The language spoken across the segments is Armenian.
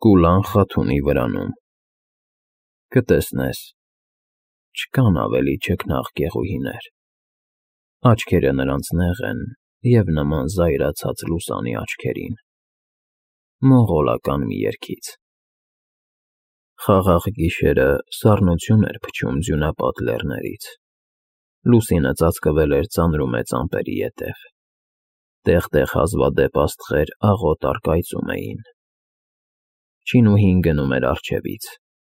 Կուլան Խաթունի վրանում։ Կտեսնես, չկան ավելի չքնաղ կեղուհիներ, աչքերը նրանց նեղ են և նման զայրացած լուսանի աչքերին, մոնղոլական մի երգից։ Խաղաղ գիշերը սառնություն էր փչում ձյունապատ լեռներից, լուսինը ծածկվել էր ծանրումեծ ամպերի ետև, տեղ-տեղ հազվադեպ աստղեր աղոտ առկայծում էին։ Չինուհին գնում էր առջևից,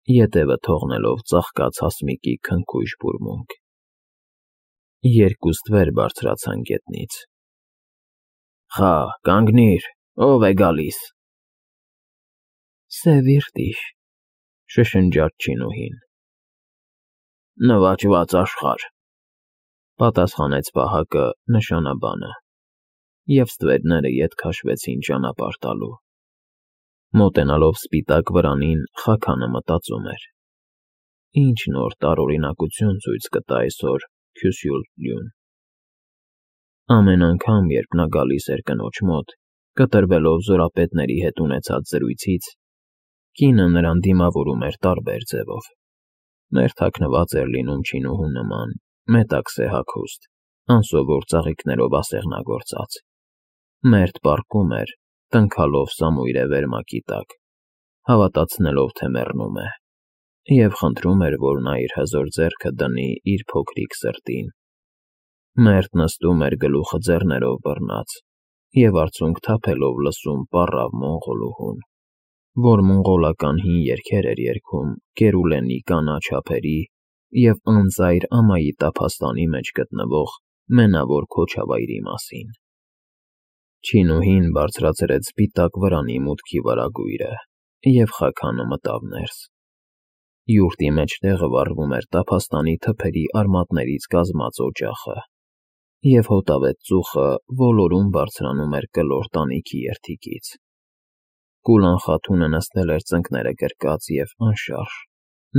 ետևը թողնելով ծաղկած հասմիկի քնքուշ բուրմունք։ Երկուստ վեր բարձրացան գետնից։ Խա, կանգնիր, ով է գալիս։ Սևիրտիշ, շշնջաց Չինուհին։ Նվաճված աշխարհ, պատասխանեց պահակը նշանաբանը, և ստվերները ետ քաշվեցին ճանապարհ տալու։ Մոտենալով սպիտակ վրանին, Խաքանը մտածում էր. ինչ նոր տարօրինակություն ցույց կտա այսօր Քյուսյուլյուն։ Ամեն անգամ, երբ նա գալիս էր կնոջ մոտ, կտրվելով զորապետների հետ ունեցած զրույցից, կինը նրան դիմավորում էր տարբեր ձևով։ Մերթ հագնված էր լինում Չինուհու նման, մետաքսե հագուստ, անսովոր ծաղիկներով ասեղնագործած։ Մերթ պառկում էր, տնքալով սամույրե վերմակի տակ, հավատացնելով, թե մեռնում է, և խնդրում էր, որ նա իր հզոր ձեռքը դնի իր փոքրիկ սրտին։ Մերթ նստում էր գլուխը ձեռներով բռնած և արցունք թափելով լսում պառավ մոնղոլուհուն, որ մոնղոլական հին երգեր էր երգում Կերուլենի կանաչ ափերի և անծայր ամայի տափաստանի մեջ գտնվող Մենավոր Քոչավայրի մասին։ Չինուհին բարձրացրեց սպիտակ վրանի մուտքի վարագույրը, և Խաքանը մտավ ներս։ Յուրտի մեջտեղը վառվում էր տափաստանի թփերի արմատներից կազմած օջախը, և հոտավետ ծուխը ոլորուն բարձրանում էր կլոր տանիքի երդիկից։ Կուլան Խաթունը նստել էր ծնկները գրկած և անշարժ,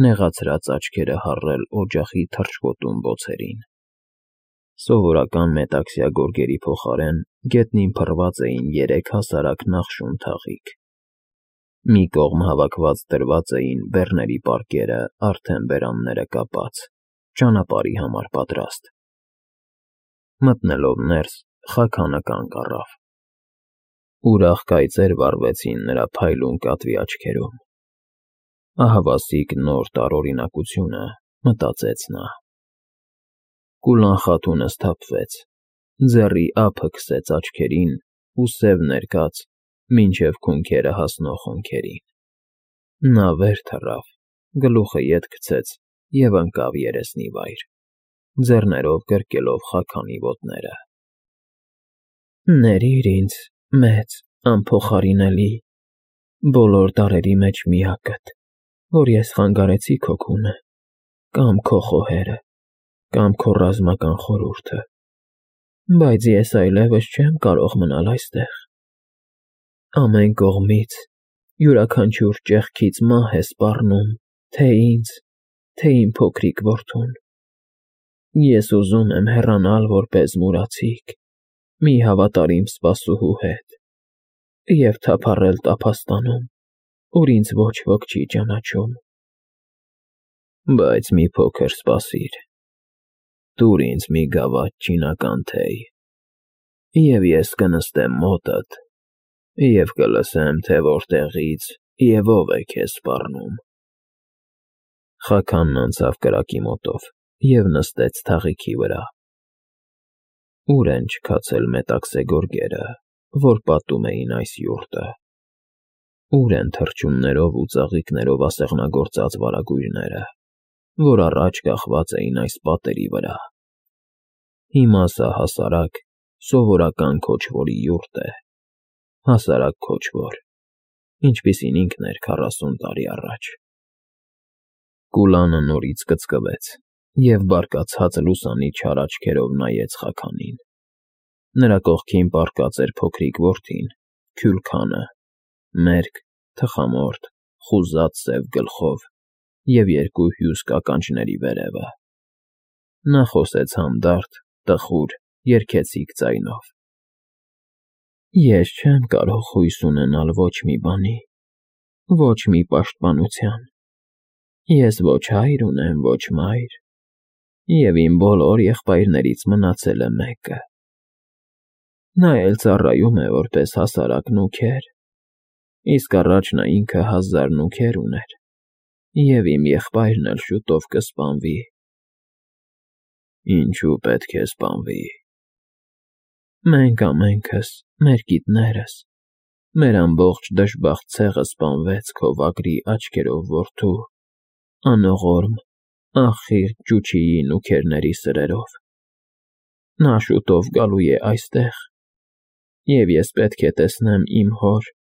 նեղացրած աչքերը հառել օջախի թռչկոտուն բոցերին։ Սովորական մետաքսյա գորգերի փոխարեն գետնին փռված էին 3 հասարակ նախշուն թաղիկ։ Մի կողմ հավաքված դրված էին բեռների պարկերը արդեն բերանները կապած, ճանապարհի համար պատրաստ։ Մտնելով ներս, Խաքանը կանգ առավ։ Ուրախ կայծեր վառվեցին նրա փայլուն կատվի աչքերում։ Ահավասիկ նոր տարօրինակությունը, մտածեց նա։ Կուլան Խաթունը սթափվեց, ձեռի ափը քսեց աչքերին ու սև ներկած մինչև քունքերը հասնող հոնքերին։ Նա վեր թռավ, գլուխը ետ քցեց և ընկավ երեսնի վայր, ձեռներով գրկելով Խաքանի ոտները։ Ներիր ինձ, մեծ, անփոխարինելի, բոլոր տարրերի մեջ միակդ, որ ես խանգարեցի քո քունը, կամ քո խոհերը, կամ քո ռազմական խորհուրդը, բայց ես այլևս չեմ կարող մնալ այստեղ։ Ամեն կողմից, յուրաքանչյուր ճեղքից մահ է սպառնում թե ինձ, թե իմ փոքրիկ որդուն։ Ես ուզում եմ հեռանալ որպես մուրացիկ, մի հավատարիմ սպասուհու հետ, և թափառել տափաստանում, ուր ինձ ոչ ոք չի ճանաչում։ Բայց մի փոքր սպասիր, տուր ինձ մի գավաթ չինական թեյ, և ես կնստեմ մոտդ և կլսեմ, թե որտեղից և ով է քեզ սպառնում։ Խաքանն անցավ կրակի մոտով և նստեց թաղիքի վրա։ Ուր են չքացել մետաքսե գորգերը, որ պատում էին այս յուրտը։ Ուր են թռչուններով ու ծաղիկներով ասեղնագործած վարագույրները, որ առաջ կախված էին այս պատերի վրա։ Հիմա սա հասարակ, սովորական քոչվորի յուրտ է, հասարակ քոչվոր, ինչպիսին ինքն էր 40 տարի առաջ։ Կուլանը նորից կծկվեց և բարկացած լուսանի չար աչքերով նայեց Խաքանին։ Նրա կողքին պառկած էր փոքրիկ որդին, Քյուրքանը, մերկ, թխամորթ, խուզած սև գլխով և 2 հյուս ականջների վերևը։ Նա խոսեց հանդարտ, տխուր, երգեցիկ ձայնով. Ես չեմ կարող հույս ունենալ ոչ մի բանի, ոչ մի պաշտպանության։ Ես ոչ հայր ունեմ, ոչ մայր, և իմ բոլոր եղբայրներից մնացել է մեկը։ Նա էլ ծառայում է որպես հասարակ նուքեր, իսկ առաջ նա ինքը 1000 նուքեր ուներ, և իմ եղբայրն էլ շուտով կսպանվի։ Ինչու պետք է սպանվի։ Մենք ամենքս, մեր կիթներս, մեր ամբողջ դժբախտ ցեղը սպանվեց քո վագրի աչքերով որդու, անողորմ, ախիղ Ջուչիի նուքերների սրերով։ Նա շուտով գալու է այստեղ, և ես պետք է տեսնեմ իմ հոր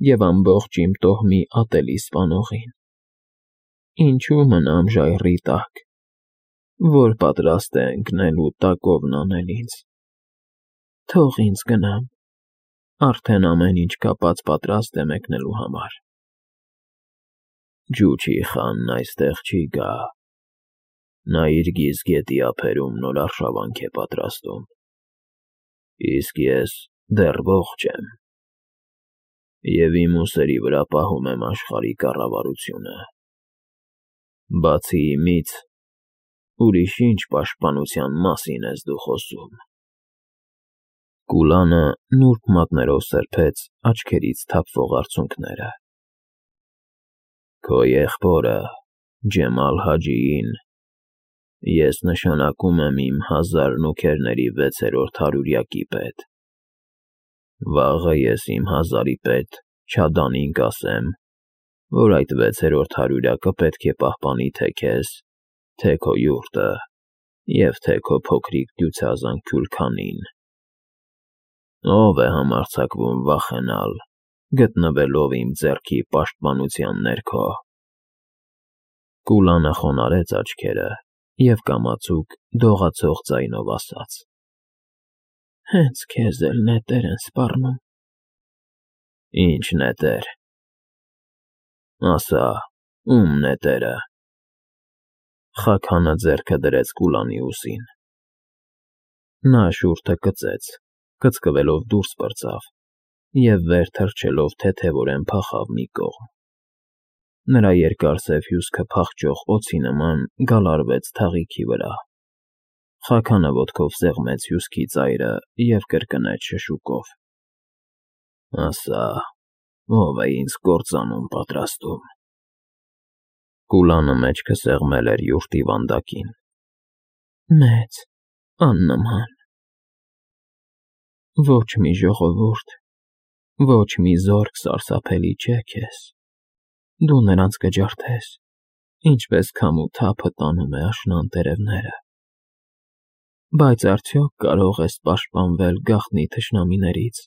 և ամբողջ իմ տոհմի ատելի սպանողին։ Ինչու մնամ ժայռի տակ, որ պատրաստ է ընկնել ու տակովն անել ինձ։ Թող ինձ գնամ, արդեն ամեն ինչ կապած պատրաստ է մեկնելու համար։ Ջուչի խանն այստեղ չի գա։ Նա իր գիզգետի ափերում նոր արշավանք է պատրաստում, իսկ ես դեռ ողջ եմ, և իմ ուսերի վրա պահում եմ աշխարհի կառավարությունը։ Բացի իմից, ուրիշ ինչ պաշտպանության մասին ես դու խոսում։ Կուլանը նուրբ մատներով սրբեց աչքերից թափվող արցունքները։ Քո եղբորը, Ջեմալ Հաջիին, ես նշանակում եմ իմ 1000 նուքերների 6-րդ հարյուրյակի պետ։ Վաղը ես իմ 1000-ի պետ Չադանին կասեմ, որ այդ 6-րդ հարյուրյակը պետք է պահպանի թե քեզ, թե քո յուրտը, և թե քո փոքրիկ դյուցազան Քյուլքանին։ Ո՞վ է համարձակվում վախենալ, գտնվելով իմ ձեռքի պաշտպանության ներքո։ Կուլանը խոնարհեց աչքերը և կամացուկ դողացող ձայնով ասաց. Հենց քեզ էլ նետեր են սպառնում։ Ինչ նետեր։ Ասա, ում նետերը։ Խաքանը ձեռքը դրեց Կուլանի ուսին։ Նա շուրթը կծեց, կծկվելով դուրս պրծավ և վեր թռչելով թեթևորեն փախավ մի կողմ։ Նրա երկար սև հյուսքը փախչող օձի նման գալարվեց թաղիքի վրա։ Խաքանը ոտքով սեղմեց հյուսքի ծայրը և կրկնեց շշուկով. Ասա, ով է ինձ կործանում պատրաստում։ Կուլանը մեջքը սեղմել էր յուրտի վանդակին։ Մեծ, աննման։ Ոչ մի ժողովուրդ, ոչ մի զորք սարսափելի չէ քեզ։ Դու նրանց կջարդես, ինչպես քամու թափը տանում է աշնան տերևները։ Բայց արդյոք կարող ես պաշտպանվել գաղտնի թշնամիներից,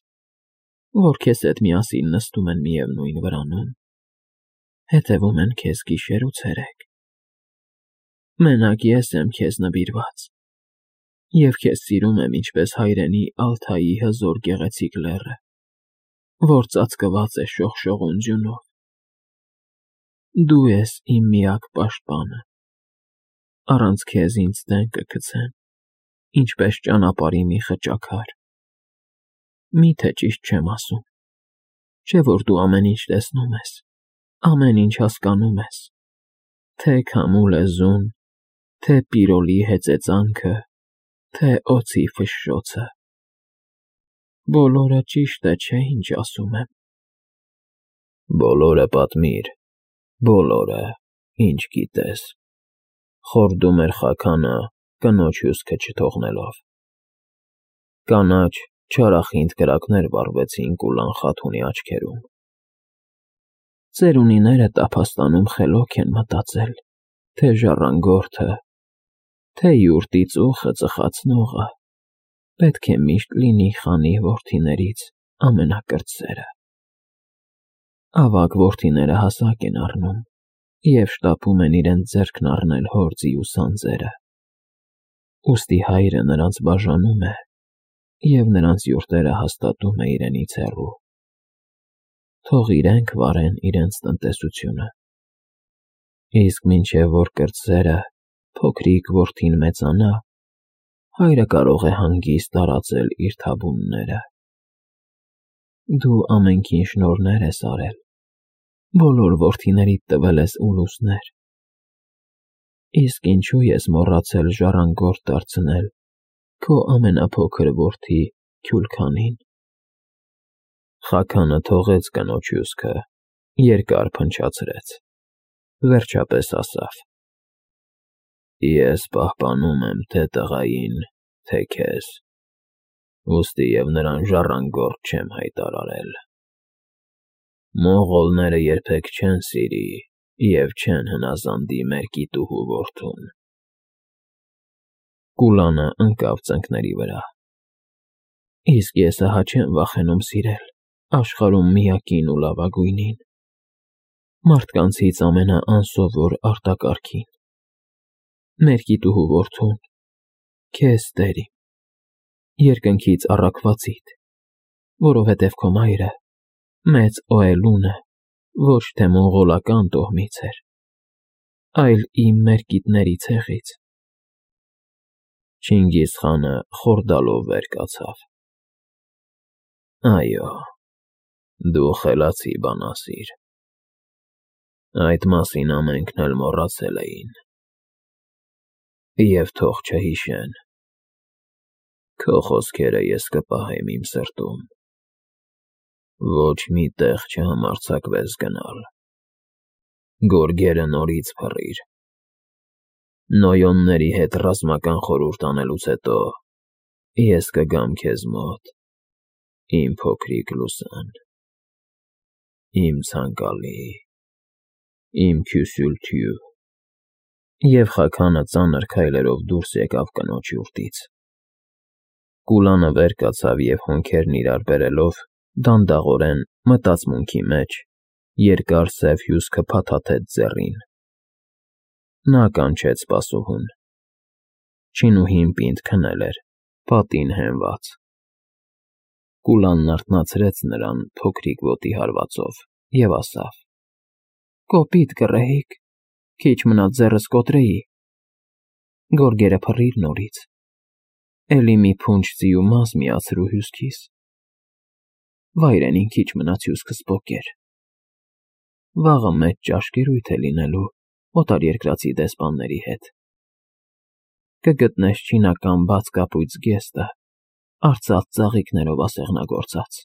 որ քեզ հետ միասին նստում են միևնույն վրանում, հետևում են քեզ գիշեր ու ցերեկ։ Մենակ ես եմ քեզ նվիրված, և քեզ սիրում եմ ինչպես հայրենի Ալթայի հզոր գեղեցիկ լեռը, որ ծածկված է շողշողուն ձյունով։ Դու ես իմ միակ պաշտպանը։ Առանց քեզ ինձ դեն կգցեն, ինչպես ճանապարհի մի խճաքար։ Մի՞թե ճիշտ չեմ ասում, չէ՞ որ դու ամեն ինչ տեսնում ես, ամեն ինչ հասկանում ես, թե քամու լեզուն, թե Պիրոլի հեծեծանքը, թե օձի ֆշշոցը։ Բոլորը ճիշտ է, չէ՞ ինչ ասում եմ։ Բոլորը պատմիր, բոլորը, ինչ գիտես, խորդում էր Խաքանը, կնոջ հյուսքը չթողնելով։ Կանաչ, չարախինդ կրակներ վառվեցին Կուլան Խաթունի աչքերում։ Ծերունիները տափաստանում խելոք են մտածել, թե ժառանգորդը, թե յուրտի ծուխը ծխացնողը պետք է միշտ լինի խանի որդիներից ամենակրտսերը։ Ավագ որդիները հասակ են առնում և շտապում են իրենց ձեռքն առնել հոր ձիու սանձերը։ Ուստի հայրը նրանց բաժանում է և նրանց յուրտերը հաստատում է իրենից հեռու։ Թող իրենք վարեն իրենց տնտեսությունը։ Իսկ մինչև որ կրտսերը, փոքրիկ որդին մեծանա, հայրը կարող է հանգիստ տարածել իր թավունները։ Դու ամենքին շնորհներ ես արել, բոլոր որդիներիդ տվել ես ուլուսներ, իսկ ինչու ես մոռացել ժառանգորդ դարձնել քո ամենափոքր որդի Քյուլքանին։ Խաքանը թողեց կնոջ հյուսքը, երկար փնչացրեց, վերջապես ասավ. Ես պահպանում եմ թե տղային, թե քեզ, ուստի և նրան ժառանգորդ չեմ հայտարարել։ Մոնղոլները երբեք չեն սիրի և չեն հնազանդի մեր կիտուհու որդուն։ Կուլանը ընկավ ծնկների վրա։ Իսկ ես ահա չեմ վախենում սիրել աշխարհում միակին ու լավագույնին, մարդկանցից ամենաանսովոր արտակարգին, մեր կիտուհու որդուն, քեզ տեր իմ, երկնքից առաքվածիդ, որովհետև քո մայրը մեծ Օելունը ոչ թե մոնղոլական տոհմից էր, այլ իմ մերկիտների ցեղից։ Չինգիզ խանը խորդալով վեր կացավ. Այո, դու խելացի բանասիր։ Այդ մասին ամենքն էլ մոռացել էին։ Եվ թող չհիշեն։ Քո խոսքերը ես կպահեմ իմ սրտում։ Ոչ մի տեղ չհամարձակվես գնալ։ Գորգերը նորից փռիր։ Նոյոնների հետ ռազմական խորհուրդ անելուց հետո ես կգամ քեզ մոտ, իմ փոքրիկ Լուսան, իմ ցանկալի, իմ քյուսյուլթյու։ Եվ Խաքանը ծանր քայլերով դուրս եկավ կնոջ յուրտից։ Կուլանը վեր կացավ և հոնքերն իրար բերելով դանդաղորեն մտածմունքի մեջ երկար սև հյուսքը փաթաթեց ձեռին։ Նա կանչեց սպասուհուն։ Չինուհին պինդ քնել էր, պատին հենված։ Կուլանն արթնացրեց նրան փոքրիկ ոտի հարվածով և ասավ. Կոպիտ գռեհիկ, քիչ մնաց ձեռս կոտրեի։ Գորգերը փռիր նորից, էլի մի փունջ ձիու մազ միացրու հյուսքիս։ Վայրենին քիչ մնաց հյուսքս պոկեր։ Վաղը մեծ ճաշկերույթ է լինելու օտարերկրացի դեսպանների հետ։ Կգտնես չինական բաց կապույտ զգեստը, արծաթ ծաղիկներով ասեղնագործած։